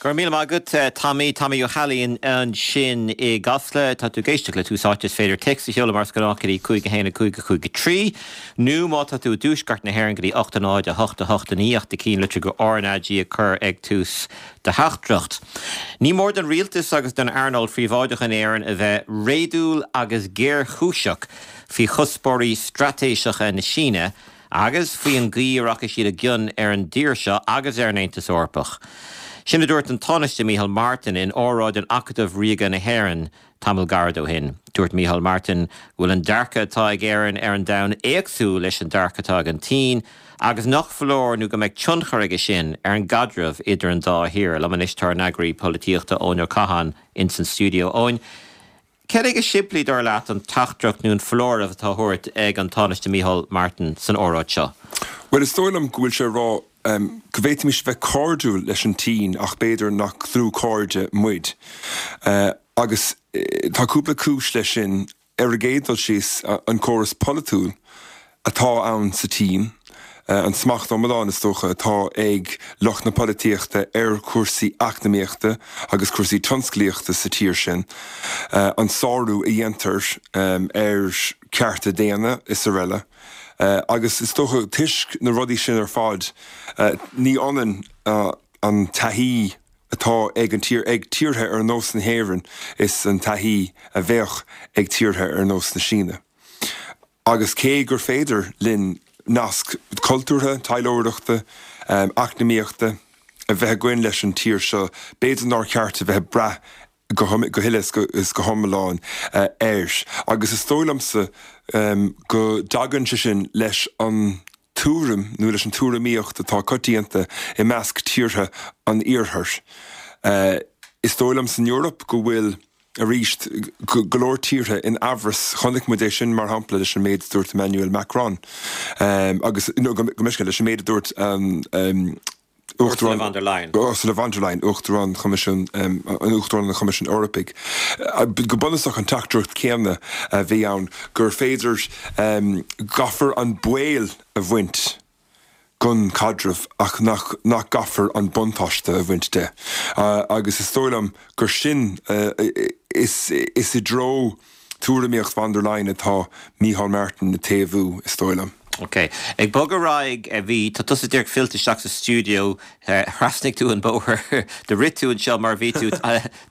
Go raibh míle maith agat, Tommy. Tommy Ó hAilín ansin i gCasla. Tá tú ag éisteacht le Tús Áite. Is féidir téacs a sheoladh mar is gnách go dtí 5 1 5 5 3 nó má tá tú i dtuaisceart na hÉireann go dtí 8 0 8 8 9 ach do chinnlitriú go RnaG a chur ag tús do theachtaireacht. Ní mór don rialtas agus don earnáil phríobháideach in Éirinn a bheith réadúil agus géarchúiseach faoi chuspóirí straitéiseacha na Síne agus faoi an gcaoi a rachaidh siad i gcion ar an dtír seo agus ar an Aontas Eorpach. Sin a dúirt an Tánaiste Micheál Martin in óráid in Acadamh Ríoga na hÉireann tamall gairid ó shin. Dúirt Micheál Martin go bhfuil an dearcadh atá ag Éirinn ar an domhan éagsúil leis an dearcadh atá ag an tSín agus nach foláir nó go mbeidh tionchar aige sin ar an gcaidreamh idir an dá thír. Liom anois tá ár n-eagraí polaitíochta Eoin Ó Catháin ins an stiúideo. Eoin, Cad é go simplí, dar leat, an teachtaireacht nó an foláireamh atá á thabhairt ag an Tánaiste Micheál Martin san óráid seo? Bhuel, is dóigh liom go bhfuil sé ag rá go bhféadfaimis bheith cairdiúil leis an tSín ach b'fhéidir nach dlúthchairde muid. Agus tá cúpla cúis leis sin. Ar an gcéad dul síos, an córas polaitiúil atá ann sa tSín, an smacht iomlán, is dócha, atá ag lucht na polaitíochta ar chúrsaí eacnamaíochta agus cúrsaí tionsclaíochta sa tír sin, an sárú a dhéantar ar chearta daonna is araile. Agus is dócha, toisc na rudaí sin ar fad, ní ionann an taithí atá ag an tír, ag tíortha ar nós na hÉireann is an taithí a bheadh ag tíortha ar nós na Síne. Agus cé gur féidir linn nasc cultúrtha, taidhleoireachta, eacnamaíochta a bheith againn leis an tír seo, b'fhéidir nár cheart a bheith ag brath go huile is go hiomlán air. Agus is dóigh liomsa go dtagann sé sin leis an tuairim nó leis an tuairimíocht atá coitianta i measc tíortha an Iarthair. Is dóigh liom san Eoraip go bhfuil, arís, go leor tíortha in amhras. Chonaic muid é sin, mar shampla, leis an méid a dúirt Emmanuel Macron agus, nó go mbeidh, leis an méid a dúirt an Uachtarán Ursula von der Leyen. Ursula von der Leyen, Uachtarán Choimisiún, Uachtarán an Choimisiúin Eorpaigh. Go bunúsach an teachtaireacht chéanna a bhí ann, gur féidir, gcaithfear an baol a bhaint den chaidreamh ach nach nach gcaithfear an buntáiste a bhaint de. Agus is dóigh liom gur sin, is is i dtreo tuairimíocht von der Leyen atá Micheál Martin ag taobhú, is dóigh liom. Ok. Ag bogadh ar aghaidh, bhí, tá tusa díreach fillte isteach sa stiúideo, thrasnaigh tú an bóthar, do rith tú anseo mar bhí tú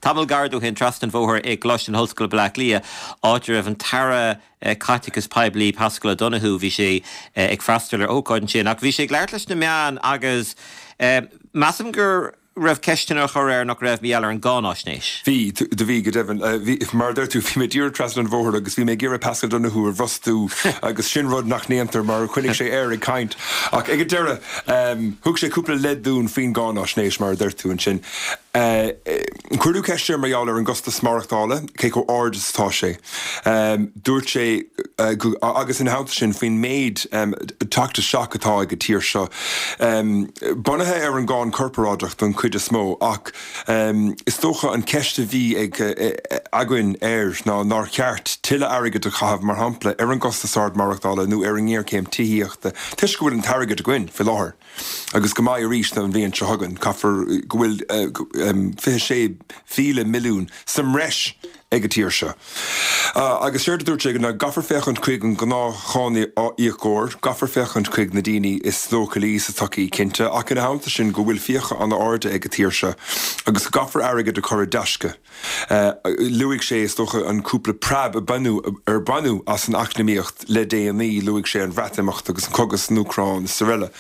tamall gairid ó shin trasna an bhóthair i gColáiste na hOllscoile Baile Átha Cliath, áit a raibh an tAire Caiteachais Poiblí Paschal Donohoe, bhí sé ag freastal ar ócáid ansin ach bhí sé ag labhairt leis na meáin agus measaim gur raibh ceisteanna á chur air nach raibh, mar gheall ar an gcáináisnéis. Bhí, do bhí, go deimhin. Bhí, mar a deir tú, bhí mé díreach trasna an bhóthair agus bhí mé ag iarraidh Paschal Donohoe a bhrostú agus sin rud nach ndéantar mar choinnigh sé air ag caint. Ach ag an deireadh, thug sé cúpla leid dúinn faoin gcáináisnéis, mar a deir tú ansin. Cuireadh ceist air mar gheall ar an gcostas maireachtála, cé chomh ard is atá sé. Dúirt sé, agus ina theannta sin, faoin méid teacht isteach atá ag an tír seo, bunaithe ar an gcáin chorparáideach don chuid is mó, ach is dócha an cheist a bhí ag againn air ná nár cheart tuilleadh airgid a chaitheamh, mar shampla, ar an gcostas ard maireachtála nó ar an ngéarchéim tithíochta, toisc go bhfuil an t-airgead againn faoi láthair. Agus go mbeidh arís an bhliain seo chugainn. Caithfear go bhfuil 26,000 milliún sa mbreis ag an tír seo. Agus séard a dúirt sé ná gcaithfear féachaint chuig an ngnáthcháiníocóir, gcaithfear féachaint chuig na daoine is leochailí sa tsochaí, cinnte, ach ina theannta sin go bhfuil fiacha an-arda ag an tír seo agus go gcaithfear airgead a chur i dtaisce. Luaigh sé, is dócha, an cúpla preab a baineadh, ar baineadh as an eacnamaíocht le déanaí, luaigh sé an Bhreatimeacht agus an cogadh san Úcráin is araile.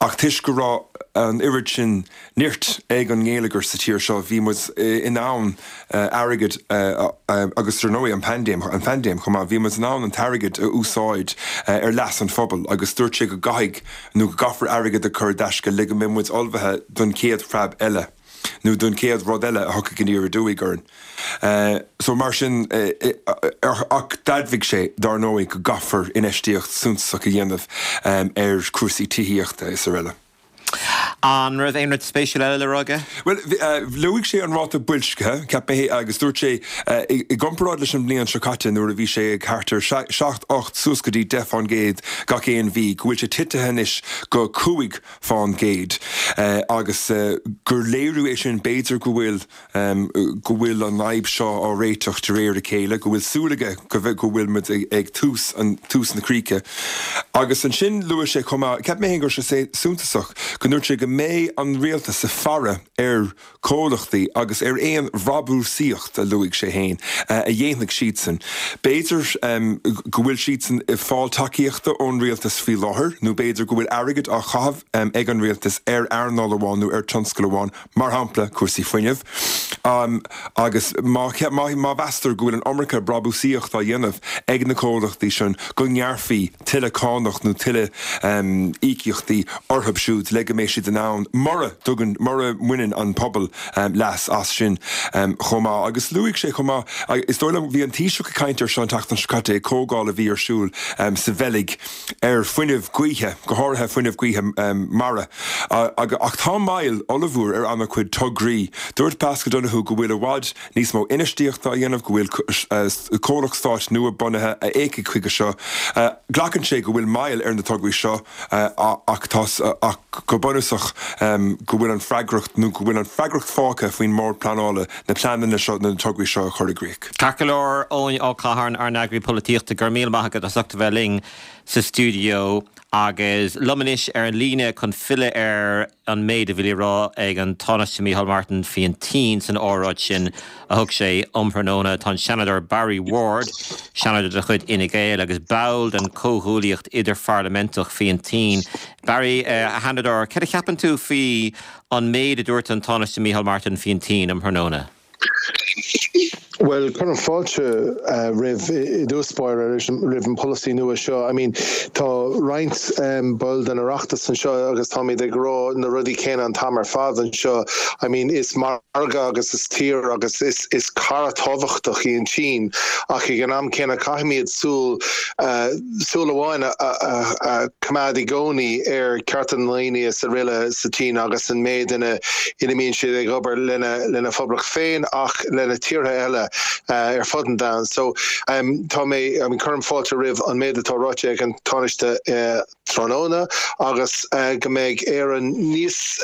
Ach toisc go raibh an oiread sin nirt ag an ngeilleagar sa tír seo, bhí muid in ann airgead agus dar ndóigh an paindéim, an phaindéim chomh maith, bhí muid in ann an t-airgead a úsáid ar leas an phobail agus dúirt sé go gcaithfidh nó go gcaithfear airgead a chur i dtaisce le go mbeidh muid ullmhaithe don chéad phreab eile. nó don chéad rud eile a thiocfaidh aniar aduaidh orainn. So mar sin, ach d'admhaigh sé, dár ndóigh, go gcaithfear infheistíocht suntasach a dhéanamh ar chúrsaí tithíochta is araile. An raibh aon rud spéisiúil eile le rá aige? Bhuel, luaigh sé an ráta boilscithe, cheap mé, agus dúirt sé, i gcomparáid leis an mbliain seo caite nuair a bhí sé ag thart ar 7, 8, suas go dtí 10 fán gcéad gach aon mhí, go bhfuil sé titithe anois go 5 fán gcéad agus gur léiriú é sin b'fhéidir go bhfuil go bhfuil an fhadhb seo á réiteach de réir a chéile, go bhfuil súil aige go go bhfuil muid ag tús an tús na críche. Agus ansin luaigh sé chomh maith, cheap mé féin go raibh sé suntasach, go ndúirt sé go mbeidh an rialtas ag faire ar chomhlachtaí agus ar aon bhrabúsaíocht, a luaigh sé féin, a dhéanfaidh siadsan. B'fhéidir go bhfuil siadsan ag fáil tacaíochta ón rialtas faoi láthair nó b'fhéidir go bhfuil airgead á chaitheamh ag an rialtas ar earnáil amháin nó ar tionscal amháin mar shampla cúrsaí fuinnimh, agus má mheastar go bhfuil an iomarca brabúsaíocht á dhéanamh ag na comhlachtaí sin, go ngearrfaí tuilleadh cánach nó tuilleadh íocaíochtaí orthu siúd le go mbeidh siad in ann, mura dtugann, mura mbaineann an pobal leas as sin chomh maith. Agus luaigh sé chomh maith, is dóigh liom, bhí an Taoiseach ag caint air seo an tseachtain seo caite ag comhdháil a bhí ar siúl sa Bheilg, ar fuinneamh gaoithe, go háirithe fuinneamh gaoithe mara. Ach tá moill ollmhór ar an-chuid tograí. Dúirt Paschal Donohoe go bhfuil i bhfad níos mó infheistíochta á dhéanamh, go bhfuil comhlacht stáit nua bunaithe a fhéachfaidh chuige seo. Glacann sé go bhfuil moill ar na tograí seo ach tá ach go bunúsach go bhfuil an freagracht nó go bhfuil an freagracht fágtha faoin mBord Pleanála na pleananna seo, na tograí seo a chur i gcrích. Ceart go leor, Eoin Ó Catháin, ár n-eagraí polaitíochta, go raibh míle maith agat as ucht a bheith linn sa stiúideo agus liom anois ar an líne chun filleadh ar an méid a bhí le rá ag an Tánaiste Micheál Martin faoin tSín san óráid sin a thug sé um thráthnóna, tá an Seanadóir Barry Ward, Seanadóir de chuid Fhine Gael agus ball den Chomhghuaillíocht Idirpharlaiminteach faoin tSín. Barry, a Sheanadóir, céard a cheapann tú faoi an méid a dúirt an Tánaiste Micheál Martin faoin tSín um thráthnóna? Bhuel, cuirim fáilte roimh i dtús báire roimh an polasaí nua seo. I mean, tá roinnt ball den Oireachtas anseo agus táimid ag rá na rudaí céanna an t-am ar fad anseo. I mean, is margadh agus is tír agus is is cara tábhachtach í an tSín ach ag an am céanna caithfimid súil súil amháin a choimeád i gcónaí ar chearta na ndaoine is araile sa tSín agus an méid ina ina mbíonn siad ag obair lena lena phoblacht féin ach lena tíortha eile ar fud an domhain. So tá mé, I mean cuirim fáilte roimh an méid atá ráite ag an Tánaiste tráthnóna agus go mbeidh Éireann níos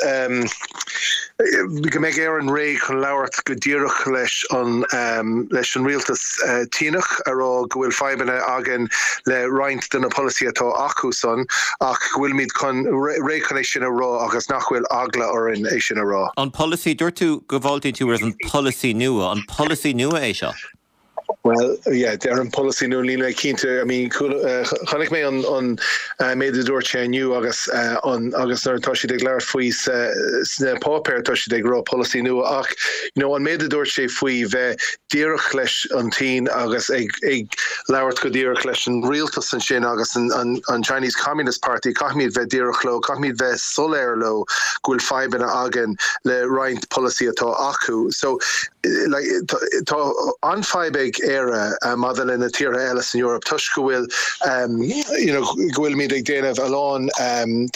go mbeidh Éireann réidh chun labhairt go díreach leis an leis an rialtas Síneach a rá go bhfuil fadhbanna againn le roinnt de na polasaithe atá acu san ach go bhfuilimid chun réidh chun é sin a rá agus nach bhfuil eagla orainn é sin a rá. An polasaí, dúirt tú go bhfáiltíonn tú roimh an polasaí nua, an polasaí nua é seo? Bhuel, yeah, deirim polasaí nua, níl mé cinnte, I mean, chonaic mé an an méid a dúirt sé inniu agus an agus nuair atá siad ag labhairt faoi sa sna páipéir tá siad ag rá polasaí nua ach you know an méid a dúirt sé faoi bheith díreach leis an tSín agus ag ag labhairt go díreach leis an rialtas ansin agus an an an Chinese Communist Party, caithfimid bheith díreach leo, caithfimid bheith soiléir leo go bhfuil fadhbanna againn le roinnt polasaí atá acu. So Tá an-fhadhb ag Éire maidir le na tíortha eile san Eoraip toisc go bhfuil you know go bhfuilimid ag déanamh a lán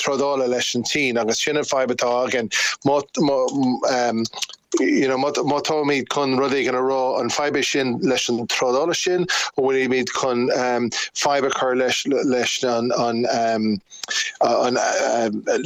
trádála leis an tSín agus sin an fadhb atá againn. Má you know má táimid chun rud éigin a rá an fadhb é sin leis an trádála sin nó bhfuilimid chun fadhb a chur leis leis an an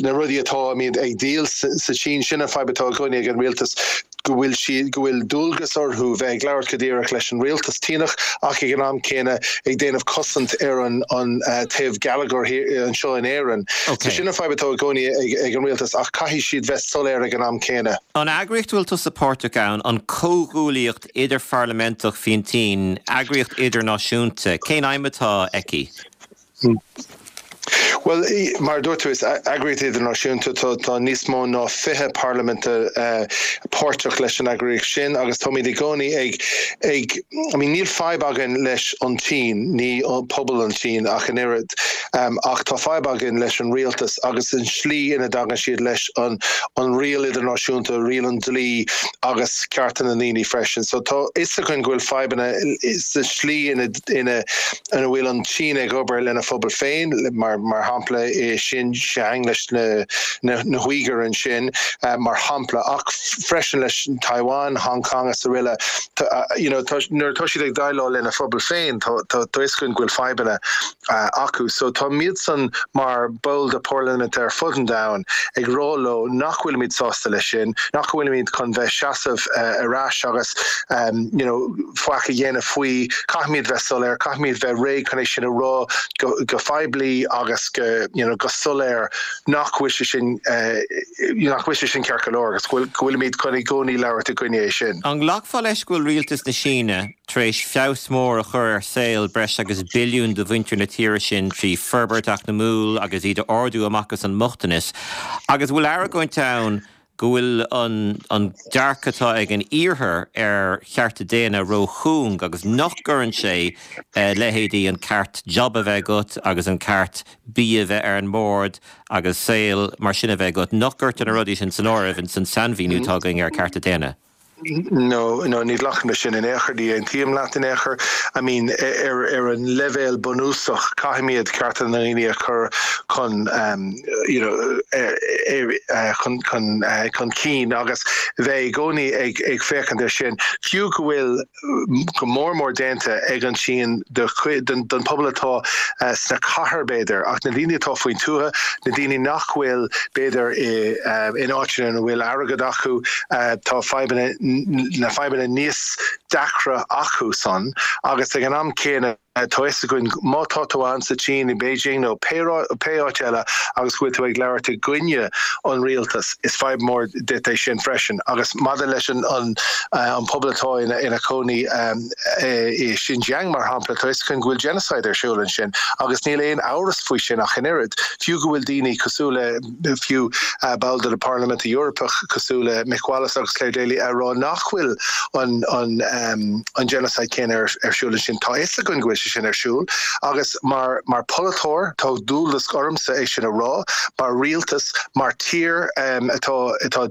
na rudaí atáimid ag díol sa tSín, sin an fadhb atá i gcónaí ag an rialtas, go bhfuil siad, go bhfuil dualgas orthu bheith ag labhairt go díreach leis an rialtas Síneach ach ag an am céanna ag déanamh cosaint ar an an taobh geilleagair anseo in Éirinn. So sin an fadhb atá i gcónaí ag an rialtas ach caithfidh siad bheith soiléir ag an am céanna. An eagraíocht a bhfuil tusa páirteach ann, an Comhghuaillíocht Idirpharlaiminteach faoin tSín, eagraíocht idirnáisiúnta, cén aidhm atá aici? Bhuel, mar a dúirt tú, is eagraíocht idirnáisiúnta, tá níos mó ná 20 parlaimint páirteach leis an eagraíocht sin agus táimid i gcónaí ag, ag, I mean níl fadhb againn leis an tSín, ní pobal an tSín ach an oiread, ach tá fadhb againn leis an rialtas agus an slí ina dtagann siad leis an, an riail idirnáisiúnta, riail an dlí agus cearta na ndaoine freisin. So tá fhios againn go bhfuil fadhbanna sa slí ina, ina, ina bhfuil an tSín ag obair lena phobal féin, mar. shampla i Xinjiang leis na na hUígir ansin, mar shampla, ach freisin leis Taiwan, Hong Kong is aroile. You know, nuair atá siad ag déileáil lena phobal féin, tá a fhios againn go bhfuil fadhbanna acu. So táimidsan mar bhaill de pharlaimint ar fud an domhain ag rá leo nach bhfuilimid sásta leis sin, nach bhfuilimid chun bheith seasamh ar ais agus you know faic a dhéanamh faoi. Caithfimid bheith soiléir, caithfimid bheith réidh chun é sin a rá go go poiblí agus go you know go soiléir nach bhfuil sé sin nach bhfuil sé sin ceart go leor agus go bhfuilimid chun i gcónaí labhairt i gcoinne é sin. An nglacfá leis go bhfuil rialtas na Síne tar éis feabhas mór a chur ar saol breis agus billiún de mhuintir na tíre sin trí forbairt eacnamúil agus iad a ardú amach as an mbochtanas, agus an bhfuil argóint ann go bhfuil an dearcadh atá ag an Iarthar ar chearta daonna ró-chúng agus nach gcuireann sé leithéidí an ceart job a bheith agat agus an ceart bia a bheith ar an mbord agus saol mar sin a bheith agat, nach gcuirtear na rudaí sin san áireamh ins an sainmhíniú atá againn ar chearta daonna? No, no, ní ghlacaim leis sin in aon chor, ní aontaím leat in aon chor. I mean, ar, ar an leibhéal bunúsach, caithfimid cearta na ndaoine a chur chun, you know, chun, chun, chun cinn agus bheith i gcónaí ag, ag féachaint air sin. Fiú go bhfuil go mór mór déanta ag an tSín do chuid, don, don pobal atá sna cathair, b'fhéidir, ach na daoine atá faoin tuath, na daoine nach bhfuil, b'fhéidir, i, in áiteanna ina bhfuil airgead acu, tá fadhbanna, na fadhbanna níos deacra acu san agus ag an am céanna tá fhios againn má tá tú ann sa tSín, i Beijing nó pé áit eile agus go bhfuil tú ag labhairt i gcoinne an rialtas, is fadhb mór duit é sin freisin. Agus maidir leis an an pobal atá ina chónaí i Xinjiang mar shampla, tá fhios againn go bhfuil genocide ar siúl ansin agus níl aon amhras faoi sin ach an oiread, fiú go bhfuil daoine cosúil le. fiú ball de Parlaimint Eorpach cosúil le Mick Wallace agus Clare Daly a rá nach bhfuil an an genocide céanna ar siúl ansin. Tá fhios againn go bhfuil sé sin ar siúl agus mar mar polaiteoir tá dualgas ormsa é sin a rá, mar rialtas, mar tír atá atá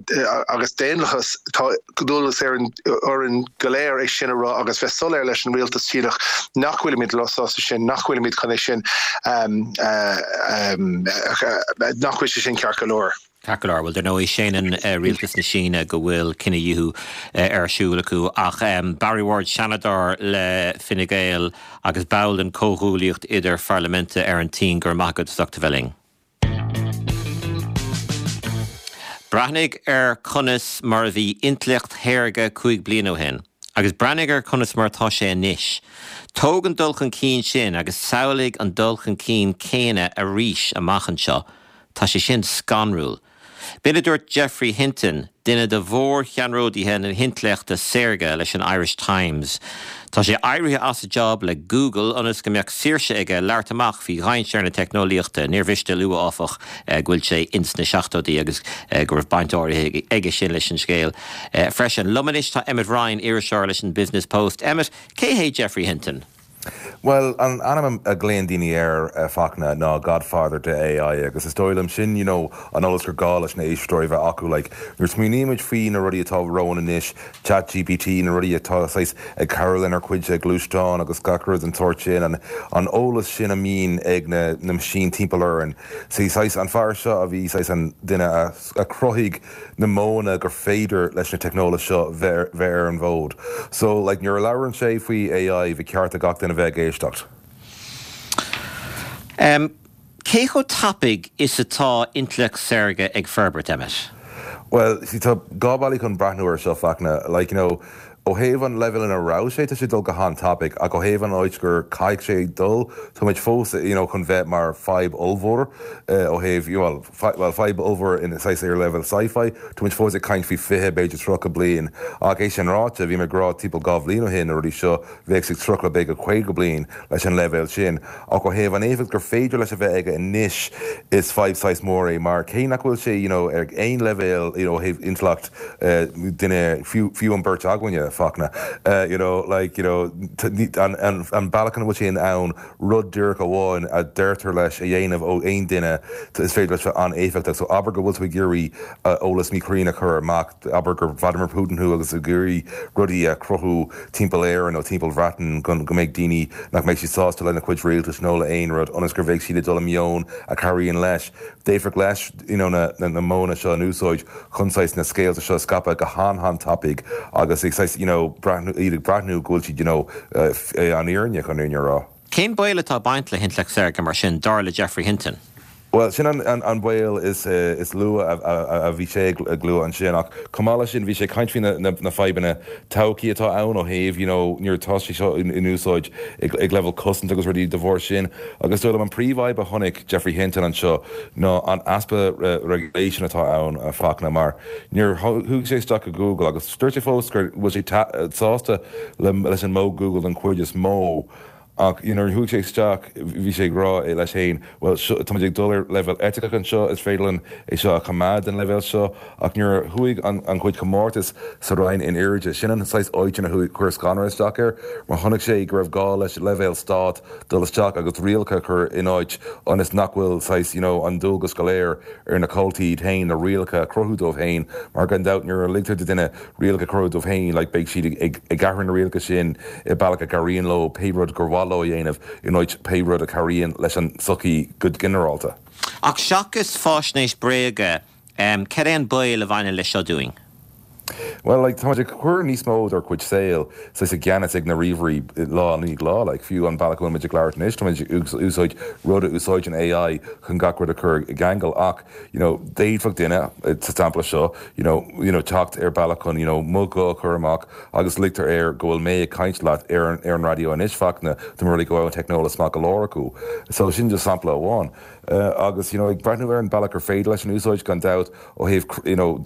agus daonlathas tá dualgas ar orainn go léir é sin a rá agus bheith soiléir leis an rialtas Síneach nach bhfuilimid sásta sin, nach bhfuilimid chun é sin, nach bhfuil sé sin ceart go leor. Ceart go leor. Bhuel, dar ndóigh, séanann rialtas na Síne go bhfuil cinedhíothú ar siúl acu. Ach Barry Ward, Seanadóir le Fine Gael agus ball den Chomhghuaillíocht Idir-Pharlaiminte ar an tSín, go raibh maith agat as ucht a bheith linn. Breathnaigh ar conas mar a bhí intleacht shaorga 5 bliana ó shin, agus breathnaigh ar conas mar atá sé anois. Tóg an dul chun cinn sin agus samhlaigh an dul chun cinn céanna arís amach anseo. Tá sé sin scanrúil. B'in a dúirt Geoffrey Hinton, duine de mhórcheannródaithe na hintleachta saorga leis an Irish Times. Tá sé éirithe as a job le Google ionas go mbeadh saoirse aige labhairt amach faoi dhainséar na teicneolaíochta. Níor mhiste a lua, áfach, go bhfuil sé ins na seachtóidí agus go raibh baint áirithe aige sin leis an scéal freisin. Liom anois tá Emmet Ryan, iriseoir leis an Business Post. Emmet, cé hé Geoffrey Hinton? Bhuel, an ainm a ghlaonn daoine air, a Fachtna, ná Godfather de AI agus is dóigh liom sin, you know, an eolas gur gá leis na éisteoirí bheith acu. Like, nuair a smaoinímid faoi na rudaí atá romhainn anois, Chat GPT, na rudaí atá saghas ag cabhrú lenár cuid gluaisteán agus gach rud den tsórt sin, an, an eolas sin a mbíonn ag na, na machine timpeall orainn. See, saghas, an fear seo a bhí saghas an duine a, a chruthaigh na modhanna gur féidir leis na teicneolaíocht seo bheith bheith ar an bhfód. So, like, nuair a labhrann sé faoi AI, ba cheart do gach duine bheith ag éisteacht. Em, cé chomh tapaidh is atá intleacht saorga ag forbairt, Emmet? Bhuel, see, tá dhá bealaí chun breathnú air seo, Fachtna. Like, you know, ó thaobh an leibhéal ina raibh sé, tá sé ag dul go han-tapaidh, ach ó thaobh an áit gur caithfidh sé dul, tá muid fós, you know, chun bheith mar fadhb ollmhór ó thaobh, you know, bhuel, fadhb ollmhór in saghas ar leibhéal sci-fi, tá muid fós ag caint faoi 20, b'fhéidir 30 bliain. Ach é sin ráite, bhí mé ag rá timpeall 2 bhliain ó shin na rudaí seo, bheadh sé ag 30 b'fhéidir 50 bliain leis an leibhéal sin. Ach ó thaobh an éifeacht gur féidir leis a bheith aige anois, is fadhb saghas mór é mar cé nach bhfuil sé, you know, ar aon leibhéal, you know, ó thaobh intleacht, duine, fiú, fiú an beirt againne. Fachtna. You know, like, you know, an bealach ina bhfuil sé in ann rud díreach amháin a deirtear leis a dhéanamh ó aon duine, is féidir leis bheith an-éifeachtach. So abair go bhfuil tú ag iarraidh eolas míchruinn a chur amach, abair gur Vladimir Putin thú agus ag iarraidh rudaí a chruthú timpeall Éireann nó timpeall Bhreatain go mbeidh daoine nach mbeidh siad sásta lena chuid rialtais nó le aon rud ionas gur bheidh siad ag dul i meon a chabhraíonn leis. D'fhéadfadh leis you know na na modhanna seo in úsáid chun saghas na scéalta seo a scaipeadh go han-han-tapaidh agus ag saghas you know breathnú iad ag breathnú go bhfuil siad you know an fhírinne chun fhírinne a rá. Cén baol atá ag baint le hintleacht saorga mar sin, dar le Geoffrey Hinton? Bhuel, sin an baol is lú a bhí sé ag lua ansin ach chomh maith leis sin bhí sé ag caint faoi na fadhbanna todhchaí atá ann ó thaobh you know nuair atá sé seo in úsáid ag leibhéal cosanta agus rudaí de bharr sin agus dóigh liom an príomhfhadhb a chonaic Geoffrey Hinton anseo ná an easpa regulation atá ann a Fachtna mar nuair chuaigh sé isteach go Google agus dúirt sé fós go bhfuil sé sásta leis an modh Google den chuid is mó Ach you know nuair a chuaigh sé isteach bhí sé ag rá leis féin bhuel seo, táimid ag dul ar leibhéal eiticeach anseo, is féidir linn é seo a choimeád den leibhéal seo ach nuair a chuaigh an an chuid comórtais sa Roinn in airde, sin an saghas áit ina chuaigh chuir scanradh isteach air mar chonaic sé go raibh gá leis leibhéal stát dul isteach agus rialacha a chur in áit ionas nach bhfuil saghas you know an dualgas go léir ar na comhaltaí iad féin na rialacha a chruthú dóibh féin mar gan dabht nuair a ligtear do duine rialacha a chruthú dóibh féin, like beidh siad ag ag athrú na rialacha sin i bealach a gcabhraíonn leo pé rud gur mhaith leo a dhéanamh in áit pé rud a chabhraíonn leis an tsochaí go ginearálta. Ach seachas fáisnéis bréige, cad é an baol a bhaineann leis seo dúinn? Bhuel, like, táimid ag cur níos mó dár gcuid saoil saghas i gceannas ag na ríomhairí lá i ndiaidh lá, like, fiú an bealach a bhfuil muid ag labhairt anois, táimid ag úsáid rud a úsáideann AI chun gach rud a chur i gceangal ach, you know, d'fhéadfadh duine, sa sampla seo, you know, you know, teacht ar bealach chun, you know, mo ghuth a chur amach agus ligtear air go bhfuil mé ag caint leat ar an, ar an raidió anois, Fachtna, de mar go bhfuil an teicneolas maith go leor acu. So sin just sampla amháin. Agus, you know, ag breathnú ar an bealach gur féidir leis an úsáid, gan dabht, ó thaobh, you know,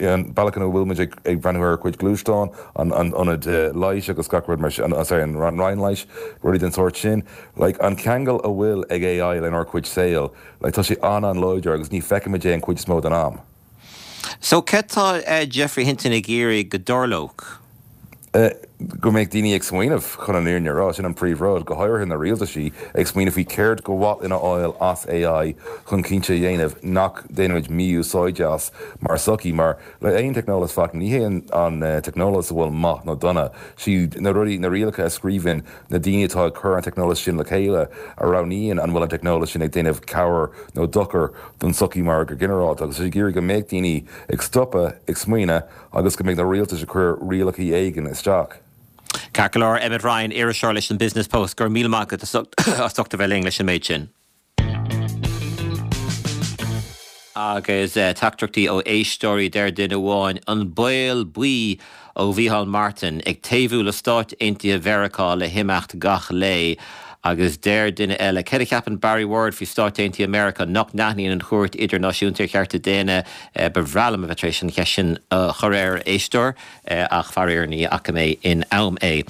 an bealach ina bhfuil muid ag, ag breathnú ar ár gcuid gluaisteán, an, an ionad leighis agus gach rud mar sin, sorry, an roinn leighis, rudaí den sórt sin, like, an ceangal a bhfuil ag AI lenár gcuid saoil, Like, tá sé an-an-láidir agus ní feicimid é an chuid is mó den am. So, céard tá Geoffrey Hinton ag iarraidh go dtarlódh? Go mbeadh daoine ag smaoineamh, chun an fhírinne a rá, sin an príomh-rud, go háirithe na rialtaisí, ag smaoineamh faoi céard go mhaith linn a fháil as AI chun cinnte a dhéanamh nach ndéanaimid mí-úsáid as mar sochaí, mar le aon teicneolas Fachtna, ní hé an teicneolas a bhfuil maith nó dona, siad na rudaí, na rialacha a scríobhann na daoine atá ag cur an teicneolas sin le chéile a roghnaíonn an bhfuil an teicneolas sin ag déanamh cabhair nó dochar don tsochaí mar go ginearálta agus tá sé ag iarraidh go mbeadh daoine ag stopadh ag smaoineadh agus go mbeidh na rialtais ag cur rialacha éigin isteach. Ceart go leor, Emmet Ryan, iriseoir leis an Business Post, go raibh míle maith agat as ucht a bheith linn leis an méid sin. Agus teachtaireachtaí ó éisteoirí, deir duine amháin, an baol buí ó Mhícheál Martin ag taobhú le Stáit Aontaithe Mheiriceá le himeacht gach lae. Agus deir duine eile, céard a cheapann Barry Ward faoi Stáit Aontaithe Meiriceá nach n-aithníonn an Chúirt Idirnáisiúnta ar Chearta Daonna? Ba bhreá liom a bheith tar éis an cheist sin a chur air, a éisteoir. ach faraor ní fhaca mé in am é.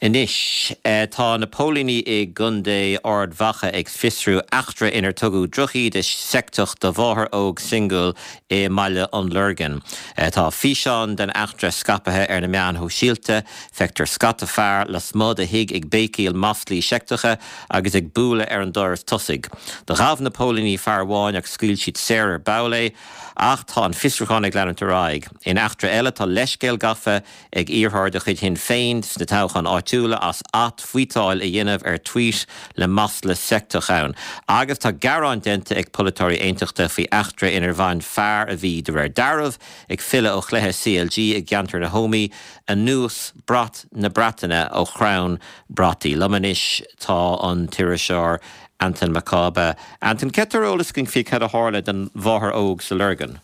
Anois, tá na póilíní i gContae Ard Mhacha ag fiosrú eachtra inar tugadh drochíde seicteach do mháthair óg singil i mBaile an Lorgain. Tá físeán den eachtra scaipthe ar na meáin shóisialta. Feictear scata fear lasmuigh de thigh ag béicíl maslaí seicteacha agus ag bualadh ar an doras tosaigh. Do ghabh na póilíní fear amháin ach scaoil siad saor ar ball é. Ach tá an fiosrúchán ag leanúint ar aghaidh. In eachtra eile, tá leithscéal gafa ag iarrthóir de chuid Shinn Féin sna toghcháin áitiúla as at-tvuíteáil a dhéanamh ar tvuít le masla seicteach ann. Agus tá gearán déanta ag polaiteoirí aontachta faoi eachtra inar bhain fear a bhí, de réir dealraimh, ag filleadh ó chluiche CLG i gceantar na hÓmaí anuas brat na Breataine ó chrann brataí. Liom anois tá an t-iriseoir Antain Mac Cába. Antain, céard tá ar eolas againn faoi cad a tharla don mháthair óg sa Lorgain?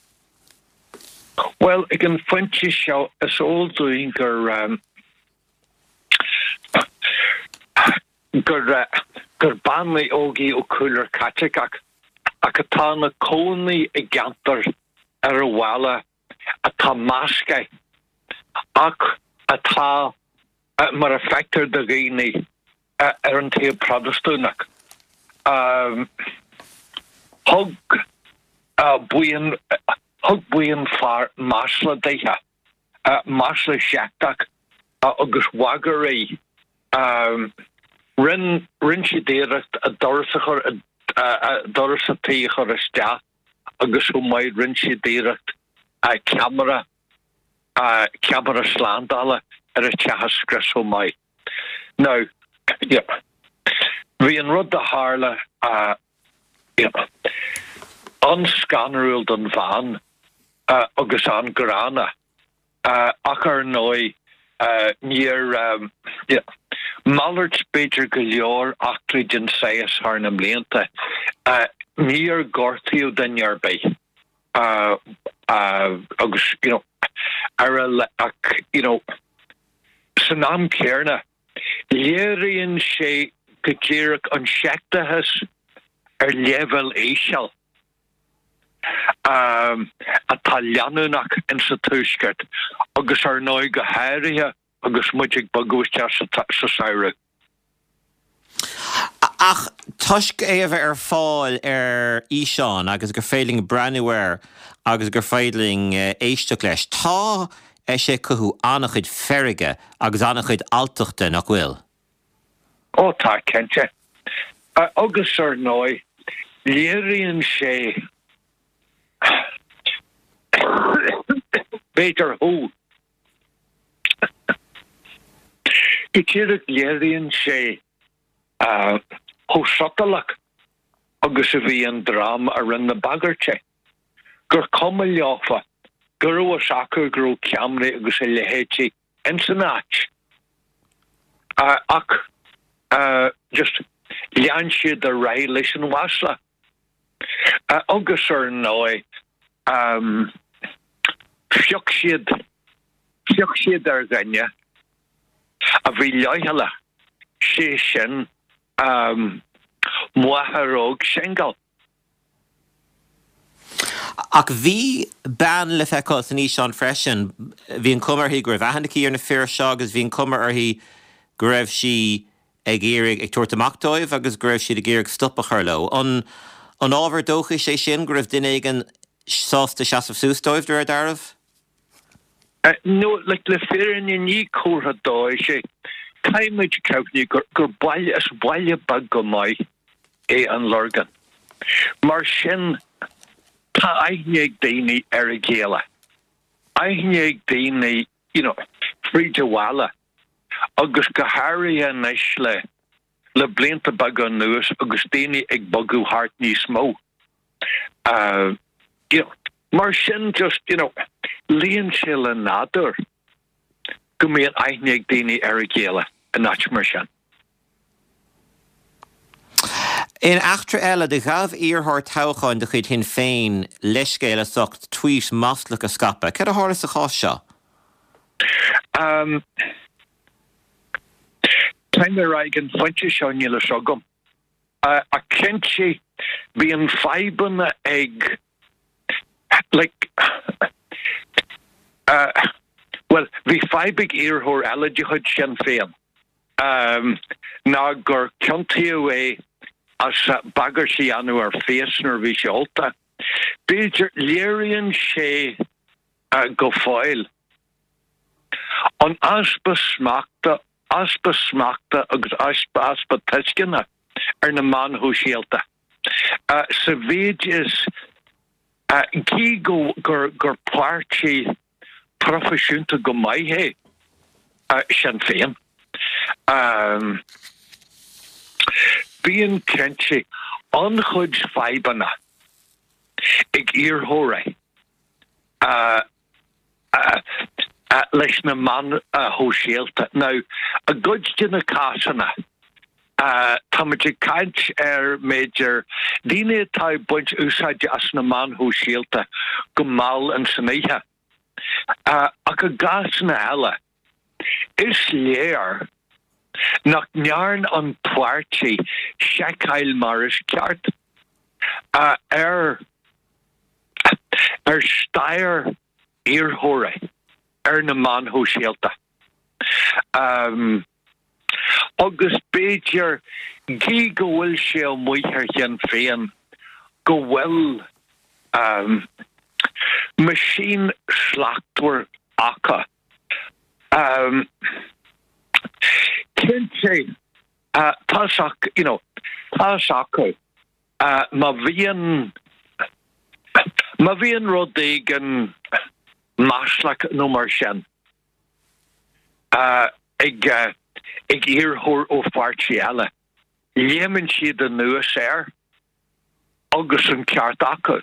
Bhuel, ag an phointe seo, is eol dúinn gur gur gur bean óg í ó chúlra Caitliceach ach atá ina cónaí i gceantar ar an bhaile atá measctha ach atá, mar a feictear do dhaoine, ar an taobh Protastúnach. Thug buíon thug buíon fear masla dithe. Masla seicteach agus bhagair í. Rinn, rinn siad iarracht a doras a chur, doras a tí a chur isteach agus chomh maith rinn siad iarracht ceamara, ceamara slándála ar a teach a scrios chomh maith. Now, bhí an rud a tharla an-scanrúil don bhean agus an-ghránna ach ar ndóigh níor, malairt b'fhéidir go leor eachtraí den saghas thar na mblianta, níor gortaíodh duine ar bith agus you know ar a ach you know san am céanna léiríonn sé go díreach an seicteachas ar leibhéal íseal atá leanúnach insa Tuaisceart agus ar ndóigh go háirithe agus muid ag bogadh isteach sa samhradh. Ach toisc é a bheith ar fáil ar fhíseán agus gur féidir linn breathnú air agus gur féidir linn éisteacht leis, tá sé ag cothú an-chuid feirge agus an-chuid alltachta, nach bhfuil? Ó tá, cinnte. Agus ar ndóigh, léiríonn sé, b'fhéidir thú, Go díreach léiríonn sé chomh sotalach agus a bhí an dream a rinne na bagairtí, gur cuma leofa go raibh fhios acu go raibh ceamaraí agus a leithéidí ins an áit ach just lean siad ar aghaidh leis an mhasla. Agus ar ndóigh phioc siad, phioc siad ar dhuine a bhí leochaileach, sé sin máthair óg singil. Ach bhí bean le feiceáil san fhíseán freisin. Bhí an chuma uirthi go raibh aithne aici ar na fir seo agus bhí an chuma uirthi go raibh sí ag iarraidh, ag tabhairt amach dóibh agus go raibh siad ag iarraidh stop a chur leo. An an ábhar dóchais é sin go raibh duine éigin sásta seasamh suas dóibh, de réir dealraimh? No, like, le fírinne ní comhartha dóchais é. Caithfidh muid cuimhniú gur, gur baile, is baile beag go maith é an Lorgain. Mar sin, tá aithne ag daoine ar a chéile. Aithne ag daoine, you know, fríd an bhaile. Agus go háirithe anois le, le blianta beaga anuas agus daoine ag bogadh thart níos mó. You know, mar sin just, you know, luíonn sé le nádúr go mbíonn aithne ag daoine ar a chéile in áit mar sin. In eachtra eile, do ghabh iarrthóir toghcháin de chuid Shinn Féin leithscéal as ucht tweet maslach a scaipeadh. Céard a tharla sa chás seo? Caithfidh mé a rá ag an phointe seo níl fhios agam. Ach cinnte bíonn fadhbanna ag like bhuel bhí fadhb ag iarrthóir eile de chuid Shinn Féin ná gur ciontaíodh é as bagairt a dhéanamh ar phéas nuair a bhí sé ólta. B'fhéidir léiríonn sé go fóill an easpa smachta, easpa smachta agus easpa tuisceana ar na meáin shóisialta. Sa mhéid is gí go gur páirtí proifisiúnta go maith é Sinn Féin, bíonn cinnte an-chuid fadhbanna ag iarrthóirí leis na meáin shóisialta. Now, i gcuid de na cásanna, táimid ag caint ar, b'fhéidir, daoine atá ag baint úsáide as na meáin shóisialta go mall ins an oíche. Ach i gcásanna eile, is léir nach ndearn an páirtí seiceáil mar is ceart ar ar stair iarrthóirí ar na meáin shóisialta. Agus b'fhéidir, gí go bhfuil sé amuigh ar Shinn Féin go bhfuil meaisín slachtmhar acu. Cinnte, tá you know, tá fhios acu má bhíonn, má bhíonn rud éigin maslach nó mar sin ag ag iarrthóir ó pháirtí eile, léimeann siad anuas air agus an ceart acu.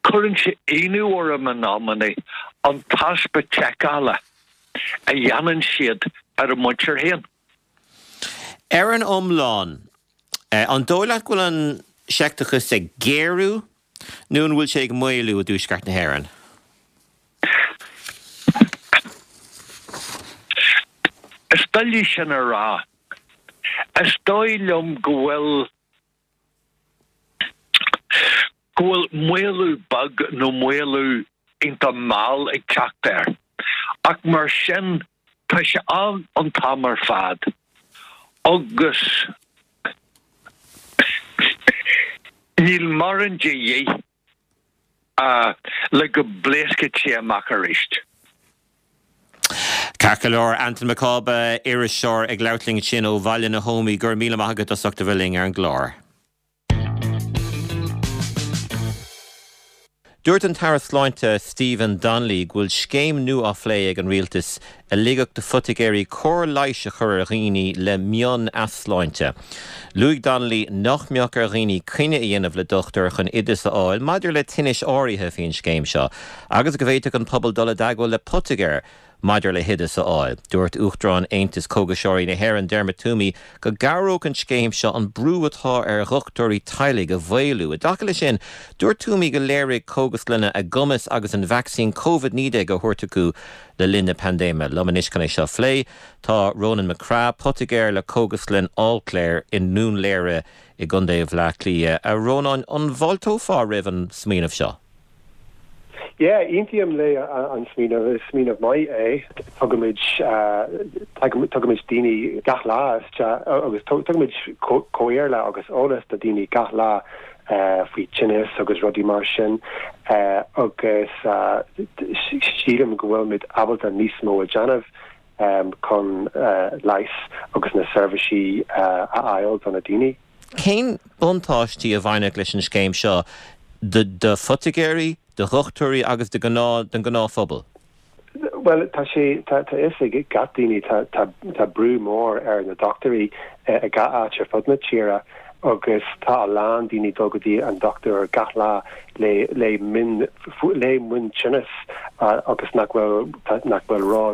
Cuireann sé ionadh orm in amannaí an t-easpa seiceála a dhéanann siad ar a muintir féin. Ar an iomlán, an dóigh leat go bhfuil an seicteachas ag géarú nó an bhfuil sé ag maolú i dTuaisceart na hÉireann? Is doiligh sin a rá. Is dóigh liom go bhfuil go bhfuil maolú beag nó maolú iontach mall ag teacht air. Ach mar sin, tá sé ann an t-am ar fad. Agus níl mórán de dhíth le go bpléascfaidh sé amach arís. Ceart go leor, Antain Mac Cába, iriseoir ag labhairt linn ansin ó Bhaile na hÓmaí, go raibh míle maith agat as ucht a bheith linn ar an gclár. Dúirt an tAire Sláinte Stephen Donnelly go bhfuil scéim nua á phlé ag an Rialtas a ligfeadh do phoitigéirí cóir leighis a chur ar dhaoine le mion-easláinte. Luaigh Donnelly nach mbeadh ar dhaoine coinne a dhéanamh le dochtúir chun oideas a fháil maidir le tinnis áirithe faoin scéim seo agus go bhféadfadh an pobal dul i dteagmháil le poitigéir maidir le hoideas a fháil. Dúirt Uachtarán Aontas Cógaiseoirí na hÉireann, Dermot Twomey, go gcabhródh an scéim seo an brú atá ar dhochtúirí teaghlaigh a mhaolú. I dtaca leis sin, dúirt Twomey go léirigh cógaslanna a gcumas agus an vacsaín Covid-19 á thabhairt acu le linn na paindéime. Liom anois chun é seo a phlé, tá Ronan McCraith, poitigéir le Cógaslann Allclair i nDún Laoghaire i gContae Bhaile Átha Cliath. A Rónáin, an bhfáilteofá roimh an smaoineamh seo? Yeah, aontaím le an smaoineamh, is smaoineamh maith é. Tugaimid, tugaimid daoine gach lá isteach agus tugaimid comhairle agus eolas do daoine gach lá faoi tinneas agus rudaí mar sin agus sílim go bhfuilimid ábalta níos mó a déanamh chun leigheas agus na seirbhísí a fháil do na daoine. Cén buntáistí a bhainfeadh leis an scéim seo do phoitigéirí, do dhochtúirí agus do don ghnáthphobal? Bhuel, tá sé, tá a fhios ag gach daoine, tá, tá, tá brú mór ar na dochtúirí i gach áit ar fud na tíre agus tá a lán daoine dul go dtí an dochtúir gach lá le, le mion, le mion-tinneas agus nach bhfuil, nach bhfuil ró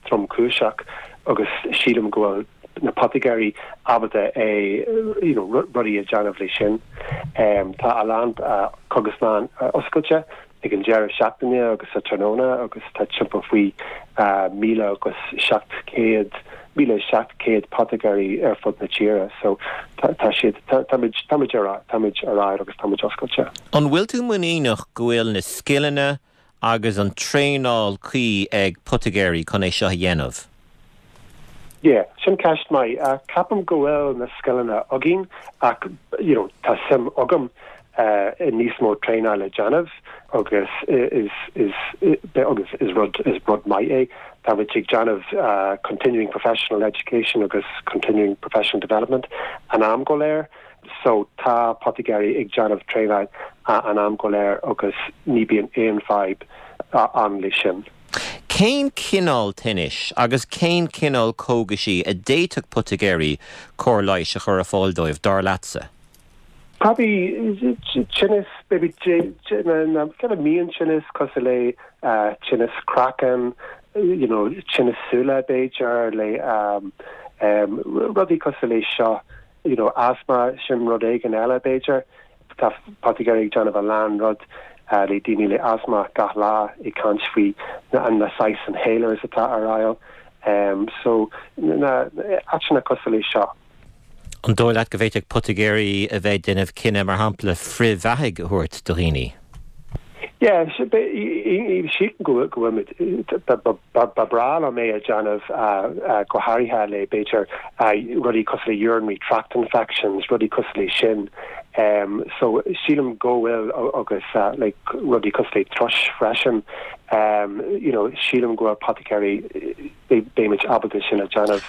tromchúiseach agus sílim go bhfuil na poitigéirí ábalta é you know rudaí a déanamh le sin. Tá a lán cógaslann oscailte ag an deireadh seachtaine agus sa tráthnóna agus tá timpeall faoi 1,700 1,700 poitigéirí ar fud na tíre so tá siad táimid táimid ar táimid ar aghaidh agus táimid oscailte. An bhfuil tú muiníneach go bhfuil na scileanna agus an traenáil cuí ag poitigéirí chun é seo a dhéanamh? Yeah, sin ceist maith. Ceapaim go bhfuil na scileanna againn ach you know tá suim agam i níos mó traenáil a déanamh agus is is agus is rud is rud maith é. Táimid ag déanamh continuing professional education agus continuing professional development an am go léir. So tá poitigéirí ag déanamh traenáil an am go léir agus ní bíonn aon fadhb ann le sin. Cén cineál tinnis agus cén cineál cógaisí a d'fhéadfadh poitigéirí cóir leighis a chur ar fáil dóibh, dar leatsa? Probably tinneas, maybe na kind of mion-tinneas cosúil le tinneas craiceann, you know, tinneas súile b'fhéidir, le rudaí cosúil le seo. you know asthma, sin rud éigin eile b'fhéidir. Tá poitigéirí ag déanamh a lán rud le daoine le asthma gach lá ag caint faoi na na saghas inhalers atá ar fháil. So na áiteanna cosúil le seo. An dóigh leat go bhféadfadh poitigéirí a bheith ag déanamh cinneadh, mar shampla, frithbheathaigh a thabhairt do dhaoine? Yeah, sílim go bhfuil muid, ba bhreá liom é a dhéanamh go háirithe le b'fhéidir rudaí cosúil le urinary tract infections, rudaí cosúil le sin. So sílim go bhfuil agus like rudaí cosúil le thrush freisin, you know, sílim go bhfuil poiticéirí, beimid ábalta sin a dhéanamh.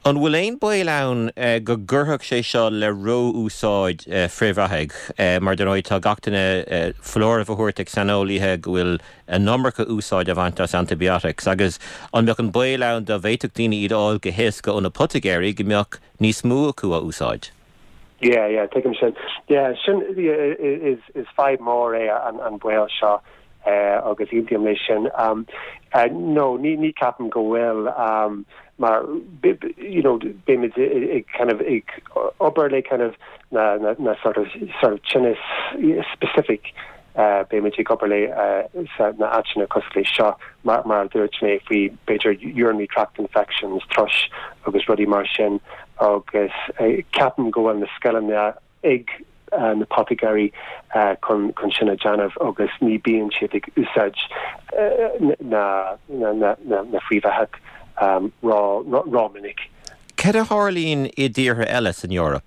An bhfuil aon baol ann go gcuirfeadh sé seo le ró-úsáid frithbheathaigh? Mar dar ndóigh tá gach duine foláireamh á thabhairt ag saineolaithe go bhfuil an iomarca úsáid á bhaint as antibiotics agus an mbeadh an baol ann dá bhféadfadh daoine iad a fháil go héasca ó na poitigéirí go mbeadh níos mó acu á úsáid? Yeah, yeah, tuigim sin. Yeah, sin, yeah, is, is fadhb mór é an, an baol seo agus aontaím leis sin. No, ní, ní ceapaim go bhfuil mar, you know, beimid ag kind of ag obair le kind of na, na, na sort of, sort of tinnis specific Beimid ag obair le sa na áiteanna cosúil le seo, mar mar a dúirt mé faoi b'fhéidir urinary tract infections, thrush agus rudaí mar sin agus ceapaim go bhfuil na scileanna ag na poitigéirí chun chun sin a dhéanamh agus ní bíonn siad ag úsáid na na na na frithbheathach ró rómhinic. Cad a tharlaíonn i dtíortha eile san Eoraip?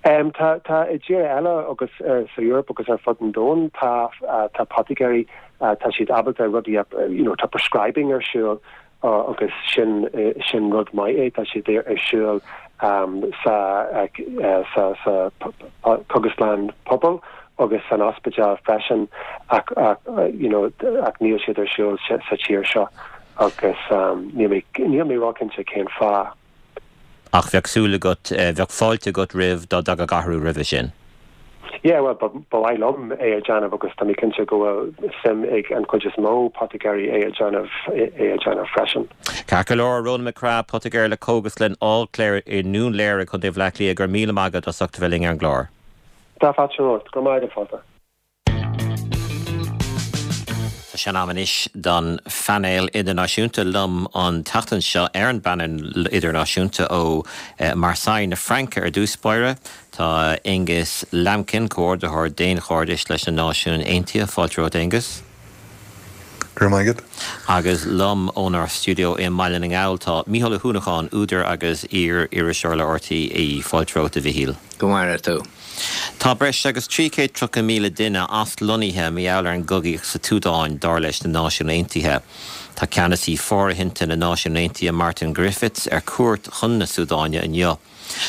Tá, tá i dtíortha eile agus sa Eoraip agus ar fud an domhain tá, tá poitigéirí, tá siad ábalta rudaí a, you know, tá prescribing ar siúl agus sin, sin rud maith é, tá siad ar siúl sa, sa, sa cógaslann pobail agus san ospidéal freisin ach, ach, you know, ach níl siad ar siúl sa tír seo agus níl mé, níl mé róchinnte cén fáth. Ach bheadh súil agat, bheadh fáilte agat roimh dá dtagadh athrú roimhe sin. Yeah, bhuel, ba mhaith liom é a dhéanamh agus tá mé cinnte go bhfuil suim ag an chuid is mó poitigéirí é a dhéanamh, é a dhéanamh freisin. Ceart go leor, Ronan McCraith, poitigéir le Cógaslann Allclair i nDún Léire, Contae Bhaile Átha Cliath, go raibh míle maith agat as ucht a bheith linn ar an gclár. Tá fáilte romhat. Go raibh maith agat, fáilte. Tá sé in am anois don phainéal idirnáisiúnta. Liom an tseachtain seo ar an bpainéal idirnáisiúnta ó Marseille na Fraince ar dtús báire, tá Aonghus Lambkin, Comhordaitheoir Daonchairdis leis na Náisiúin Aontaithe. Fáilte romhat, Aonghus. Go raibh maith agat. Agus liom ónár stiúideo i mBaile na nGall tá Mícheál Ó hUanacháin, údar agus iar-iriseoir le RTÉ. Fáilte romhat, a Mhichíl. Go maire tú. Tá breis agus 330,000 duine aslonnaithe mar gheall ar an gcogaíocht sa tSúdáin, dar leis na Náisiúin Aontaithe. Tá ceannasaí fóirithinte na Náisiún Aontaithe Martin Griffiths ar cuairt chun na Súdáine inniu.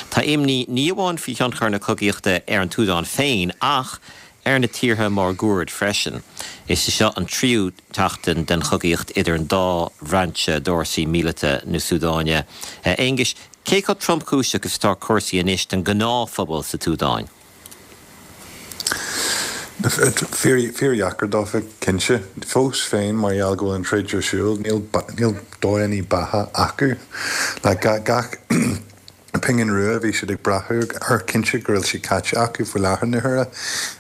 Tá imní ní amháin faoi thionchar na cogaíochta ar an tSúdáin féin ach ar na tíortha máguaird freisin. Is í seo an tríú tseachtain den chogaíocht idir an dá bhrainse d'fhórsaí míleata na Súdáine. A Aonghuis, cé chomh tromchúiseach is atá cúrsaí anois don ghnáthphobal sa tSúdáin? Fíordheacair dófa, cinnte. Fós féin, mar gheall go bhfuil an troid ar siúl, níl níl dóigheanna beatha acu. Like gach pingin rua a bhí siad ag brath air, cinnte go bhfuil sé caite acu faoi láthair na huaire.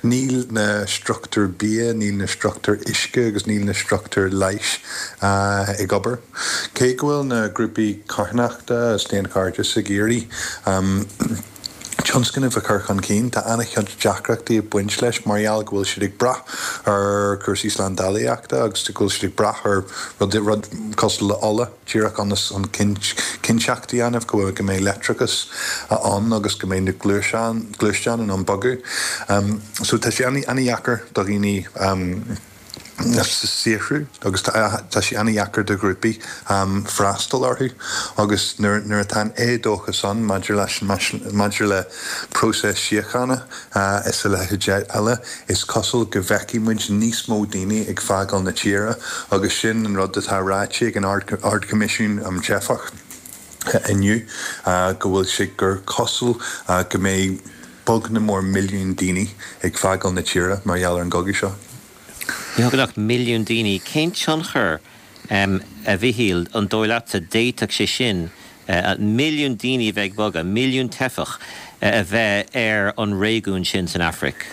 Níl na struchtúir bia, níl na struchtúir uisce agus níl na struchtúir leighis ag obair. Cé go bhfuil na grúpaí carthanachta agus daonchairdis ag iarraidh tionscnaimh a chur chun cinn, tá an-chuid deacrachtaí ag baint leis mar gheall go bhfuil siad ag brath ar chúrsaí slándálaíochta agus go bhfuil siad ag brath ar rud cosúil le ola díreach ionas an cinnteacht a dhéanamh go bhfuil go mbeidh leictreachas ann agus go mbeidh na gluaisteáin in ann bogadh. So tá sé an-dheacair do dhaoine saothrú agus tá sé an-dheacair do ghrúpaí freastal orthu agus nuair atá an éadóchas ann maidir leis maidir le próiseas síochána is a leithéid eile, is cosúil go bhfeicfidh muid níos mó daoine ag fágáil na tíre agus sin an rud atá ráite ag an Ard-Choimisiún um Teifeach inniu, go bhfuil sé gur cosúil go mbeidh beagnach mór milliún daoine ag fágáil na tíre mar gheall ar an gcogadh seo. Beagnach milliún daoine. Cén tionchar, a Mhichíl, an dóigh leatsa, d'fhéadfadh sé sin, milliún daoine a bheith ag bogadh, milliún teifeach, a bheith ar an réigiún sin san Afraic?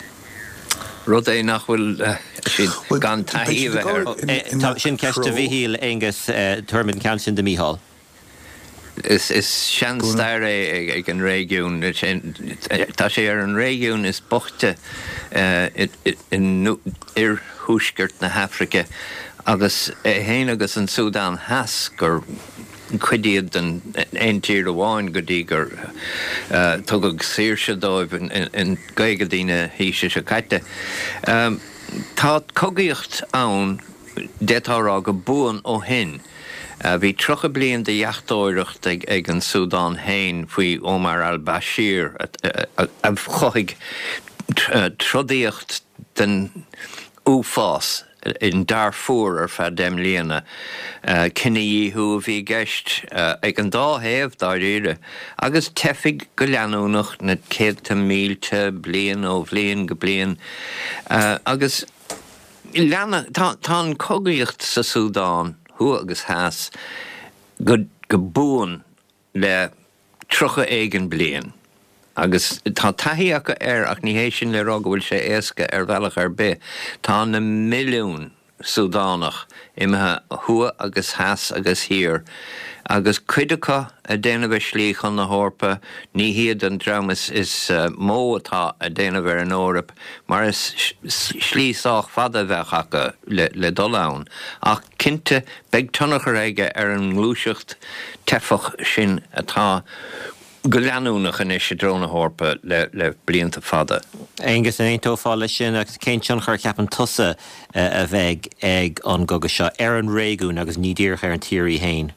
Rud é nach bhfuil siad gan taithí a bheith air. Sin ceist do Mhichíl, Aonghus. Tabharfaimid an ceann sin do Mhícheál. Is seanstair é ag an réigiún. Tá sé ar an réigiún is boichte in oirthuaisceart na hAfraice agus é féin agus an Súdán Theas gur cuid iad den aon tír amháin go dtí gur tugadh saoirse dóibh in gcaogaidí na haoise seo caite. Tá cogaíocht ann, d'fhéadfá a rá, go buan ó shin. Bhí 30 bliain de dheachtóireacht ag an Súdán féin faoi Omar al-Bashir a chothaigh trodaíocht den uafás in Darfur ar feadh 10 mbliana. Cinedhíothú a bhí i gceist ag an dá thaobh, dáiríre, agus teifigh go leanúnach na céadta mílte bliain ó bhliain go bliain. Agus leanadh, tá an chogaíocht sa Súdán, thuaidh agus theas, go buan le 30 éigin bliain agus tá taithí acu air ach ní hé sin le rá go bhfuil sé éasca ar bhealach ar bith. Tá na milliúin Súdánach imithe thuaidh agus theas agus thiar agus cuid acu ag déanamh a slí chun na hEorpa, ní hiad an dream is mó atá ag déanamh ar an Eoraip mar is slí sách fada a bheadh acu le dul ann ach cinnte beidh tionchar aige ar an ngluaiseacht teifeach sin atá go leanúnach anois i dtreo na hEorpa le blianta fada. Aengus, an aontófá leis sin agus cén tionchar a cheapann tusa a bheidh ag an gcogadh seo ar an réigiún agus ní díreach ar an tír í féin?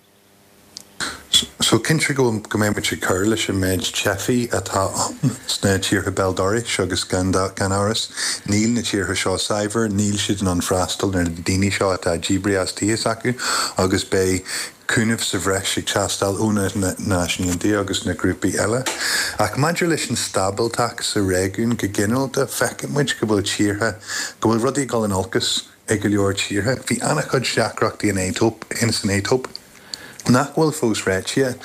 So, cinnte go go mbeidh muid ag cur leis an méid teifigh atá ann sna tíortha béal dorais agus gan gan amhras níl na tíortha seo saibhir, níl siad in ann freastal ar na daoine seo atá díbrithe as tithe s'acu agus beidh cúnamh sa bhreis ag teastáil ó na Náisiúin Aontaithe agus na grúpaí eile. Ach maidir leis an stábilteacht sa réigiún go ginearálta, feiceann muid go bhfuil tíortha, go bhfuil rudaí ag dul in olcas. i go leor tíortha. Bhí an-chuid deacrachtaí in Aetóip, in san Aetóip nach bhfuil fós réitithe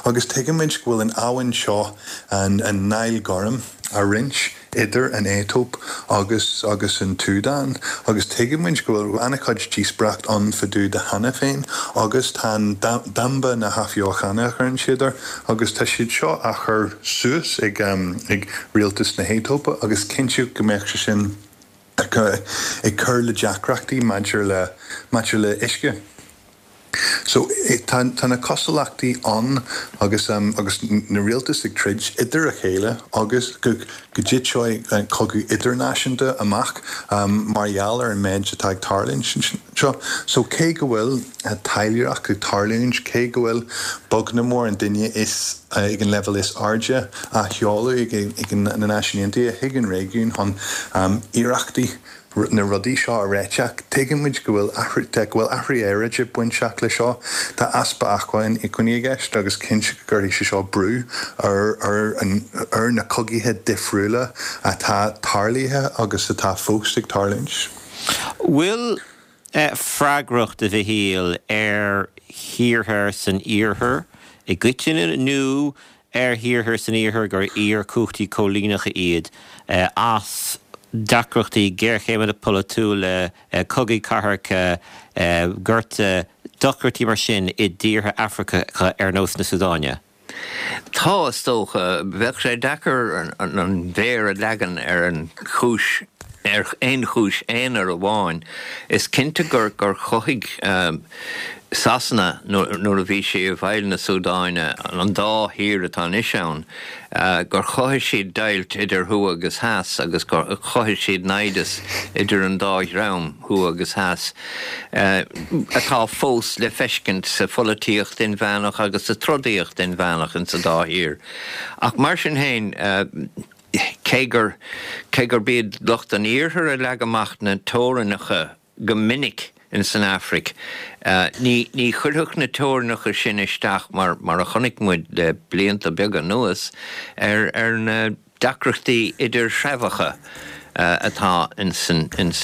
agus tuigimid go bhfuil an abhainn seo, an an Nile Gorm, á roinnt idir an Aetóip agus agus an tSúdáin agus tuigimid go bhfuil an-chuid díospóireacht ann fá dtaobh de cheana féin agus tá an Damba na hAthbheochana a chuireann siad air agus tá siad seo á chur suas ag ag rialtas na hAetóipe agus cinnte go mbeadh sé sin ag cur le deacrachtaí maidir le maidir le uisce. So tá tá na cosúlachtaí ann agus agus na rialtais ag troid idir a chéile agus go go dtitfeadh cogadh idirnáisiúnta amach mar gheall ar an méid atá ag tarlúint anseo. So cé go bhfuil taidhleoireacht ag tarlúint, cé go bhfuil bognadh mór an duine is ag an leibhéal is airde á sheoladh ag na Náisiúin Aontaithe chuig an réigiún chun iarrachtaí na rudaí seo a réiteach. Tuigeann muid go bhfuil athrú go bhfuil athrú aeráide bainteach le seo. Tá easpa acmhainní i gceist agus cinnte go gcuirfidh sé seo brú ar ar an ar na cogaithe difriúla atá tarlaithe agus atá fós ag tarlúint. Bhfuil freagracht, a Mhichíl, ar thíortha san iarthar i gcoitinne nó ar thíortha san iarthar gur iar-chumhachtaí coilíneacha iad as deacrachtaí, géarchéimeanna polaitiúla, cogaí cathartha, gorta, deacrachtaí mar sin i dtíortha Afracacha ar nós na Súdáine? Tá, is dócha. Bheadh sé deacair an mhéar a leagan ar an chúis, ar aon chúis aonair amháin. Is cinnte gur gur chothaigh Sasana, nuair a bhí sí i bhfeighil na Súdáine, an dá thír atá anois ann, gur chothaigh siad deighilt idir thuaidh agus theas agus gur chothaigh siad naimhdeas idir an dá dhream, thuaidh agus theas, atá fós le feiscint sa pholaitíocht inmheánach agus sa trodaíocht inmheánach in sa dá thír. Ach mar sin féin, cé gur, cé gurb iad lucht an iarthair a leag amach na teorainneacha go minic in san Afraic, ní, ní chuirfeadh na teorainneacha sin isteach, mar, mar a chonaic muid le blianta beaga anuas, ar, ar na. deacrachtaí idirthreibheacha atá ins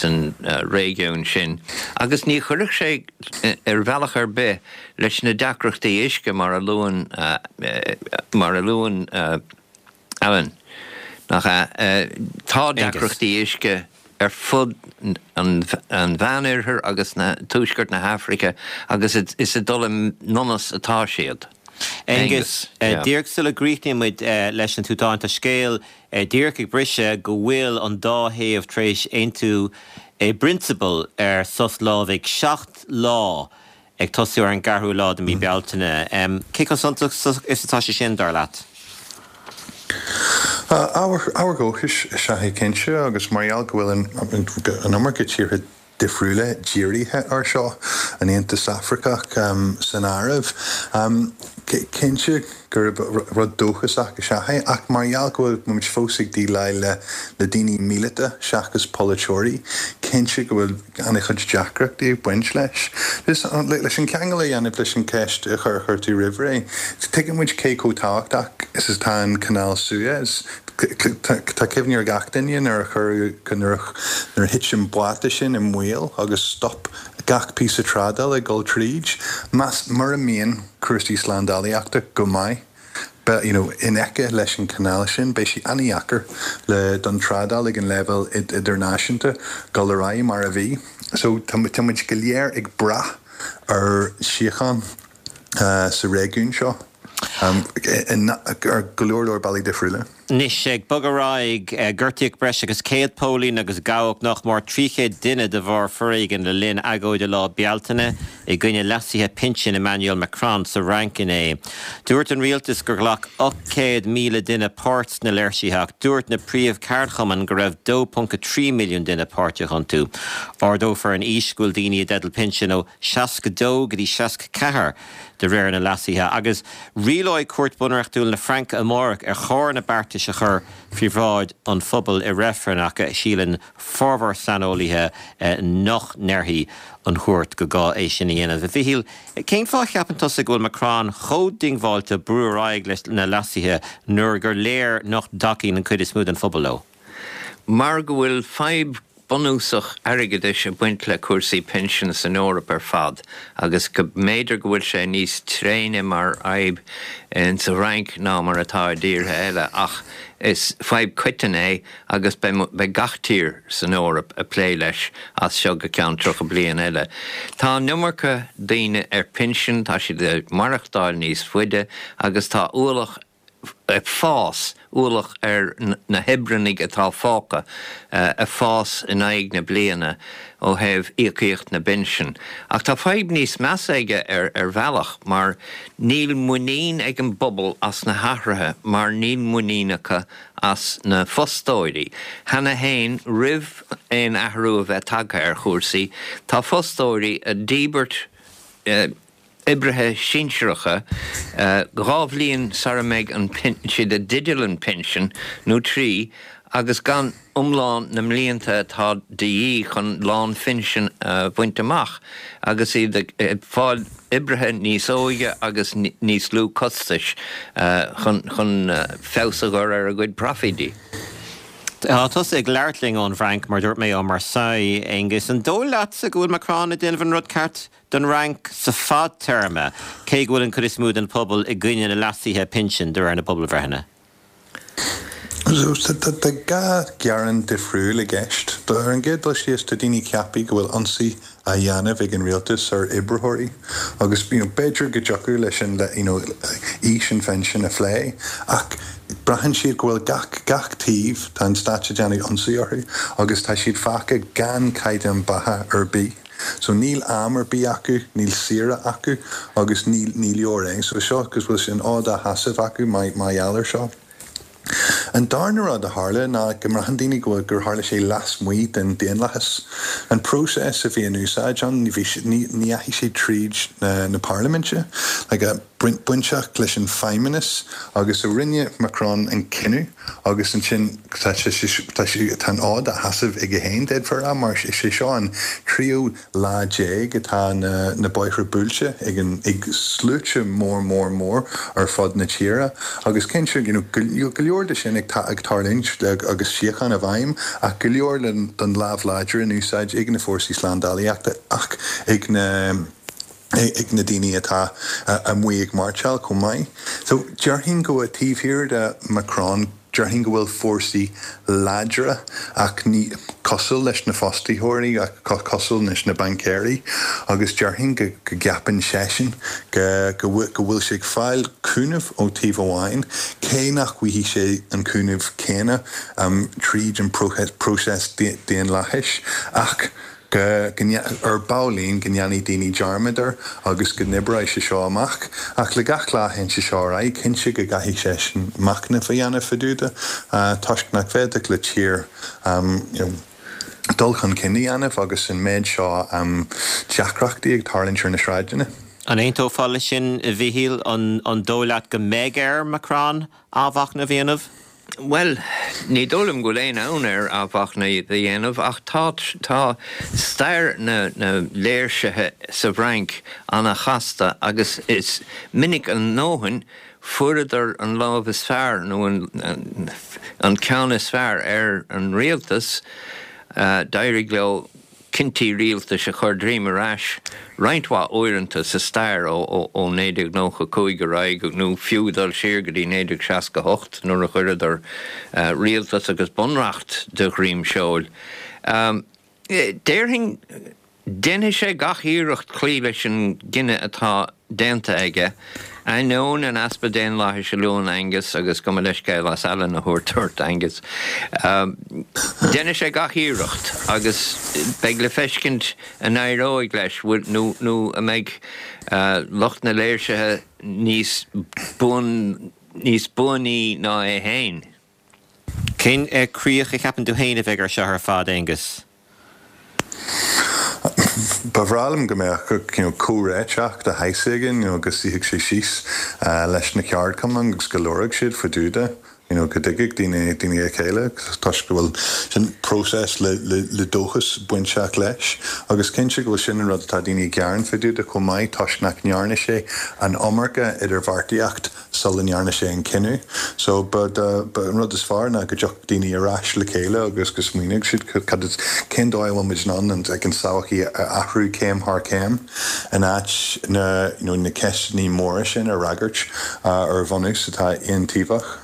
an réigiún sin agus ní chuirfeadh sé ar bhealach ar bith leis na deacrachtaí uisce mar a luann mar a luann Alan, nach ea? Tá deacrachtaí uisce ar fud an Mheánoirthir agus na tuaisceart na hAfraice agus is ag dul i ndonas atá siad. Aengus, díreach sula gcríochnaíonn muid leis an tSúdáin, tá scéal díreach ag briseadh go bhfuil an dá thaobh tar éis aontú i bprionsabal ar sos lámhaigh 7 lá ag tosú ar an gceathrú lá de mhí Bealtaine. Cé chomh suntasach is atá sé sin, dar leat? Ábhar dóchais is ea é cinnte agus mar gheall go bhfuil an iomarca tíortha difriúla dírithe air seo, an Aontas Afracach san áireamh. Cinnte gurb rud dóchasach is ea é, ach mar gheall go bhfuil muid fós ag déileáil le daoine míleata seachas polaiteoirí, cinnte go bhfuil an-chuid deacrachtaí ag baint leis. Leis an ceangal a dhéanamh leis an cheist a chuir tú roimh ré, tuigeann muid cé chomh tábhachtach is atá an Canáil Suez. Tá cuimhne ar gach duine nuair a chuireadh, nuair a thit an báta sin i mbaol agus stop gach píosa trádála ag dul tríd. Más, mura mbíonn cúrsaí slándálaíochta go maith, you know, in aice leis an chanáil sin, beidh sé an-dheacair le, don trádáil ag an leibhéal idirnáisiúnta dul ar aghaidh mar a bhí. So tá muid go léir ag brath ar síocháin sa réigiún seo ar go leor leor bealaí difriúla. Anois, ag bogadh ar aghaidh, gortaíodh breis agus 100 póilín agus gabhadh nach mór 300 duine de bharr foréigin le linn agóide Lá Bealtaine i gcoinne leasuithe pinsin Emmanuel Macron sa Fhrainc inné. Dúirt an rialtas gur ghlac 800,000 duine páirt sna léirsithe ach dúirt na príomh-cheardchumainn go raibh 2.3 milliún duine páirteach iontu. Ardófar an aois go bhfuil daoine i dteideal pinsin ó 62 go dtí 64 de réir na leasuithe, agus rialóidh Cúirt Bunreachtúil na Fraince amárach ar chóir na beartais a chur faoi bhráid an phobail i reifreann ach síleann formhór saineolaithe nach ndéarfaidh an chúirt go gá é sin a dhéanamh. A Mhichíl, cén fáth a cheapann tusa go bhfuil Macron chomh diongbháilte brú ar aghaidh leis na leasuithe nuair gur léir nach dtacaíonn an chuid is mó den phobal leo? Mar go bhfuil fadhb bunúsach airgeadais ag baint le cúrsaí pinsean san Eoraip ar fad agus go mb'fhéidir go bhfuil sé níos tréine mar fhadhb insa Fhrainc ná mar atá i dtíortha eile ach is fadhb coiteann é agus beidh gach tír san Eoraip ag plé leis as seo go ceann 30 bliain eile. Tá an iomarca daoine ar pinsean, tá siad ag maireachtáil níos faide agus tá ualach ag fás, ualach ar na hoibreannaigh atá fágtha, ag fás in aghaidh na bliana ó thaobh íocaíocht na bpinsean. Ach tá fadhb níos measa aige ar bhealach mar níl muinín ag an bpobal as na hathruithe mar níl muinín acu as na fostóirí. Cheana féin, roimh aon athrú a bheith tagtha ar chúrsaí, tá fostóirí ag díbirt, oibrithe sinsearacha 2 bhliain sara mbeidh siad i dteideal an pinsin, nó 3, agus gan iomlán na mblianta atá de dhíth chun lánphinsean a bhaint amach, agus iad ag fáil oibrithe níos óige agus níos lú costais chun feabhas a chur ar a gcuid proifídí. Tá tusa ag labhairt linn ón bhFrainc, mar dúirt mé, ó Marseille, Aengus. An dóigh leatsa go bhfuil Macron ag déanamh an rud ceart? don Fhrainc sa fadtéarma, cé go bhfuil an chuid is mó den phobal i gcoinne na leasuithe pinsin, de réir na bpobalbhreitheanna. Tá dhá ghearán difriúil i gceist. Ar an gcéad dul síos, tá daoine ag ceapadh go bhfuil ionsaí á dhéanamh ag an rialtas ar oibritheoirí agus you know b'fhéidir go dtiocfadh leis an you know aois an phinsin a phlé ach braitheann siad go bhfuil gach gach taobh, tá an stát ag déanamh ionsaí orthu agus tá siad fágtha gan caighdeán beatha ar bith. So níl am ar bith acu, níl saoire acu agus ní ní leor é. So seo agus bhfuil sé an fhód á sheasamh acu mar mar gheall air seo. An darna rud a tharla ná go mbraitheann daoine go bhfuil gur tharla sé lasmuigh den daonlathas. An próiseas a bhí in úsáid ann ní bhí ní ní dheachaigh sé tríd na na parlaiminte like bainteach leis an feidhmeannas agus so rinne Macron an cinneadh agus ansin tá sé tá sé tá an fhód á sheasamh aige féin d'fhéadfá a rá mar is é seo an tríú lá déag atá na na bóithre buailte ag an ag sluaite mór mór mór ar fud na tíre agus cinnte you know go go leor de sin ag ag tarlúint agus síocháin i bhfeidhm ach go leor den lámh láidir in úsáid ag na fórsaí slándálaíochta ach ag na ag na daoine atá amuigh ag mairseáil chomh maith. So, déarfainn go bhfuil taobh thiar de Macron. déarfainn go bhfuil fórsaí láidre ach ní cosúil leis na fostaitheoirí ach cosúil leis na baincéirí agus déarfainn go gceapann seisean go bhfuil sé ag fáil cúnamh ó taobh amháin cé nach bhfaighidh sé an cúnamh céanna tríd an próiseas daonlathais ach go, ar baillín, go ndéanfaidh daoine dearmad air agus go n-oibreoidh sé seo amach. Ach le gach lá a théann sé seo ar aghaidh, cinnte go gcaithfidh seisean machnamh a dhéanamh fá dtaobh de, toisc nach bhféadfadh le tír dul chun cinn a dhéanamh agus an méid seo deacrachtaí ag tarlúint ar na sráideanna. An aontófá leis sin, a Mhíchíl? An dóigh leat go mbeidh ar Macron athmhachnamh a dhéanamh? Bhuel, ní dóigh liom go bhfuil aon fhonn air athmhachnamh a dhéanamh ach tá, tá stair na léirsithe sa bhFrainc ana-chasta agus is minic a ndóthain fuaireadar an lámh is fearr nó an ceann is fearr ar an rialtas, d'éirigh leo cinntí rialtais a chur droim ar ais roinnt mhaith uaireanta sa stair ó 1995 ar aghaidh nó fiú dul siar go dtí 1968 nuair a chuireadar rialtas agus bunreacht de dhroim seoil. Déarfainn, déanfaidh sé gach iarracht cloí leis an gcinneadh atá déanta aige, ainneoin an easpa daonlathais a luann Aengus agus gabh mo leithscéal as Alan a thabhairt ort, Aengus. Déanfaidh sé gach iarracht agus beidh le feiscint an éireoidh leis nó nó an mbeidh lucht na léirsithe níos buan níos buanaí ná é féin. Cén críoch a cheapann tú féin a bheidh ar seo ar fad, Aengus? Ba bhreá liom go mbeadh comhréiteach de shaghas éigin, go suífeadh sé síos leis na ceardchumainn agus go labharfadh siad fá dtaobh de, go dtuigfeadh daoine a chéile toisc go bhfuil sin próiseas le dóchas bainteach leis. Agus cinnte go bhfuil sin an rud atá daoine ag gearán fá dtaobh de chomh maith toisc nach ndearna sé an iomarca idirbheartaíocht sula ndearna sé an cinneadh. So ba ba an rud is fearr ná go dtiocfadh daoine ar ais le chéile agus go smaoineodh siad cad is cén dóigh a bhfuil muid in ann an like an todhchaí a athrú céim thar chéim in áit na you know na ceisteanna móra sin a fhreagairt ar bhunús atá aontaobhach.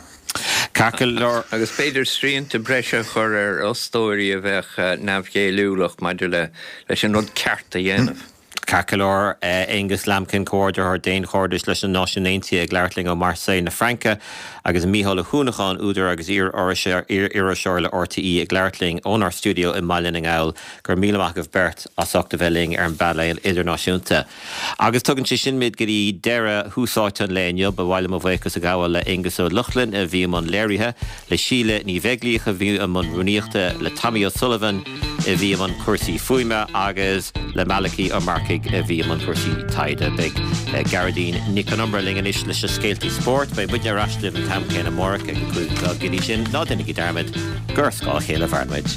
Ceart go leor. Agus b'fhéidir srianta breise a chur ar fhostóirí a bheadh neamhghéilliúlach maidir le leis an rud ceart a dhéanamh. Ceart go leor, Aonghus Lambkin, Comhordaitheoir Daonchairdis leis na Náisiúin Aontaithe ag labhairt linn ó Marseille na Fraince, agus Mícheál Ó hUanacháin, údar agus iar-iriseoir le RTÉ ag labhairt linn ónár stiúideo i mBaile na nGall. Go raibh míle maith agaibh beirt as ucht a bheith linn ar an bpainéal idirnáisiúnta. Agus tugann sé sin muid go dtí deireadh Thús Áite an lae inniu. Ba mhaith liom mo bhuíochas a ghabháil le Aonghus Ó Lochlainn a bhí i mbun léirithe, le Síle Ní Bheaglaoich a bhí i mbun rúnaíochta, le Tommy O'Sullivan a bhí i mbun cúrsaí fuaime agus le Malachy Ó Marcaigh a bhí i mbun cúrsaí taighde. Beidh Gearóidín Nic Con Iomaire linn anois leis na scéaltaí spóirt. Beidh muidne ar ais libh an t-am céanna amárach ag a 5 o'clock. Go dtí sin, ná déanaigí dearmad gur ar scáth a chéile a mhaireann muid.